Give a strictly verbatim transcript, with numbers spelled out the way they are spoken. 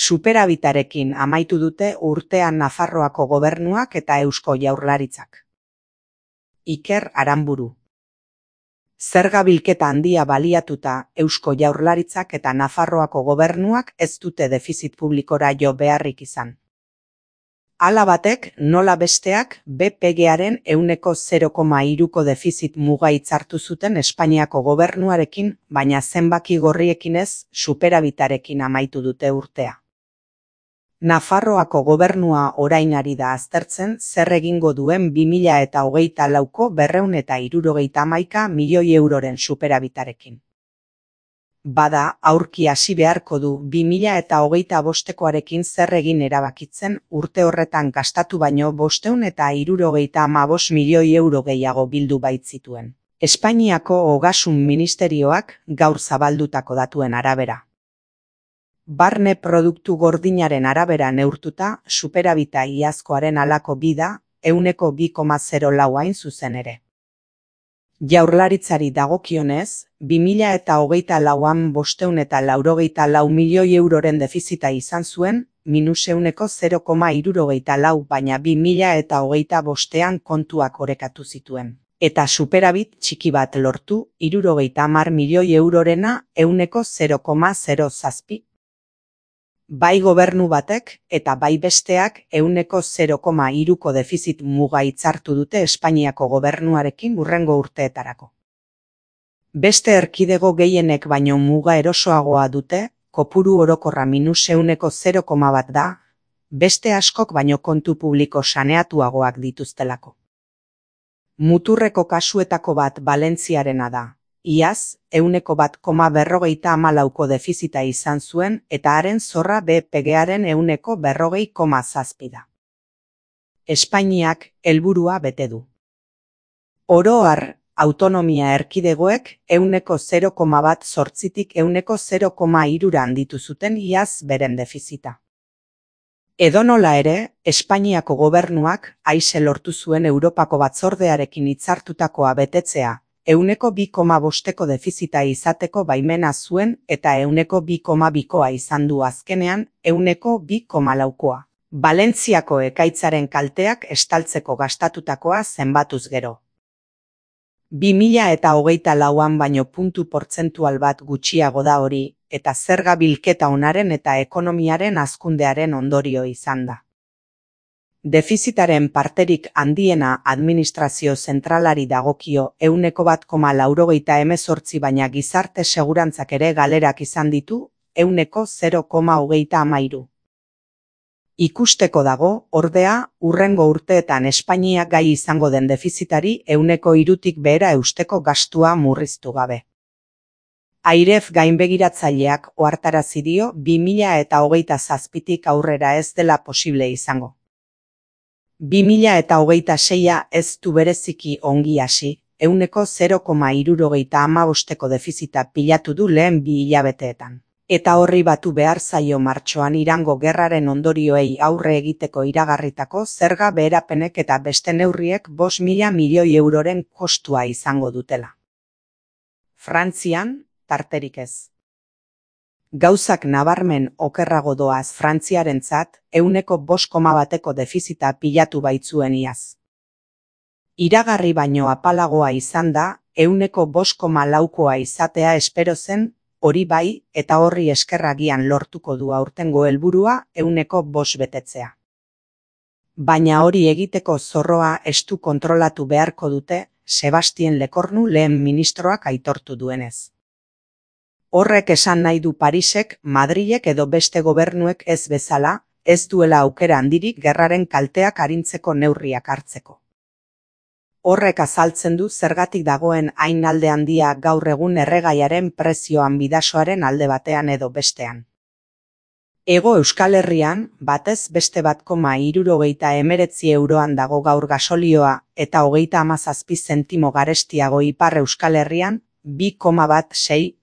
Superabitarekin amaitu dute urtean Nafarroako gobernuak eta Eusko Jaurlaritzak. Iker Aranburu. Zerga bilketa handia baliatuta Eusko Jaurlaritzak eta Nafarroako gobernuak ez dute defizit publikora jo beharrik izan. Hala batek, nola besteak, B P G-aren ehuneko zero koma hiruko defizit muga hitzartu zuten Espainiako gobernuarekin, baina zenbaki gorriekin ez, superabitarekin amaitu dute urtea. Nafarroako gobernua orain ari da aztertzen zer egingo duen bi mila eta hogeita lauko berrehun eta hirurogeita hamaika milioi euroren superabitarekin. Bada, aurki hasi beharko du bi mila eta hogeita bostekoarekin zer egin erabakitzen urte horretan gastatu baino bostehun eta hirurogeita hamabost milioi euro gehiago bildu baitzituen. Espainiako Ogasun Ministerioak gaur zabaldutako datuen arabera. Barne produktu gordinaren arabera neurtuta, superabita iazkoaren halako bida, ehuneko bi koma zero lau hain zuzen ere. Jaurlaritzari dagokionez, bi mila eta hogeita lauan bostehun eta laurogeita lau milioi euroren defizita izan zuen, minus ehuneko zero koma hirurogeita lau, baina bi mila eta hogeita bostean kontuak orekatu zituen. Eta superabit txiki bat lortu, hirurogeita hamar milioi eurorena ehuneko zero koma zero zazpi. Bai gobernu batek eta bai besteak ehuneko zero koma hiruko defizit muga hitzartu dute Espainiako gobernuarekin hurrengo urteetarako. Beste erkidego gehienek baino muga erosoagoa dute, kopuru orokorra minus ehuneko zero koma bat da, beste askok baino kontu publiko saneatuagoak dituztelako. Muturreko kasuetako bat Valentziarena da. Iaz, ehuneko bat koma berrogeita hamalauko defizita izan zuen eta haren zorra B P G-aren ehuneko berrogei koma zazpi da. Espainiak helburua bete du. Oro har, autonomia erkidegoek ehuneko zero koma bat zortzitik ehuneko zero koma hirura handitu zuten iaz beren defizita. Edonola ere, Espainiako gobernuak aise lortu zuen Europako batzordearekin hitzartutakoa betetzea, ehuneko bi koma bosteko defizita izateko baimena zuen eta ehuneko bi koma bikoa izan du azkenean, ehuneko bi koma laukoa. Valentziako ekaitzaren kalteak estaltzeko gastatutakoa zenbatuz gero. bi mila eta hogeita lauan baino puntu portzentual bat gutxiago da hori, eta zerga bilketa onaren eta ekonomiaren hazkundearen ondorio izan da. Defizitaren parterik handiena administrazio zentralari dagokio ehuneko bat koma laurogeita hemezortzi baina gizarte segurantzak ere galerak izan ditu ehuneko zero koma hogeita hamairu. Ikusteko dago, ordea, hurrengo urteetan Espainiak gai izango den defizitari ehuneko hirutik behera eusteko gastua murriztu gabe. Airef gainbegiratzaileak ohartarazi dio bi mila eta hogeita zazpitik aurrera ez dela posible izango. bi mila eta hogeita seia ez du bereziki ongi hasi, ehuneko zero koma hirurogeita hamabosteko defizita pilatu du lehen bi hilabeteetan. Eta horri batu behar zaio martxoan Irango gerraren ondorioei aurre egiteko iragarritako zerga beherapenek eta beste neurriek bost mila milioi euroren kostua izango dutela. Frantzian, tarterik ez. Gauzak nabarmen okerrago doaz Frantziarentzat ehuneko bost koma bateko defizita pilatu baitzuen iaz. Iragarri baino apalagoa izan da, ehuneko bost koma laukoa izatea espero zen, hori bai, eta horri eskerragian lortuko du aurtengo helburua ehuneko bost betetzea. Baina hori egiteko zorroa estu kontrolatu beharko dute, Sebastien Lekornu lehen ministroak aitortu duenez. Horrek esan nahi du Parisek, Madrilek edo beste gobernuek ez bezala, ez duela aukera handirik gerraren kalteak arintzeko neurriak hartzeko. Horrek azaltzen du zergatik dagoen hain alde handia gaur egun erregaiaren prezioan bidasoaren alde batean edo bestean. Hego Euskal Herrian, batez beste bat koma hirurogeita hemeretzi euroan dago gaur gasolioa eta hogeita hamazazpi zentimo garestiago Ipar Euskal Herrian, bi koma bat sei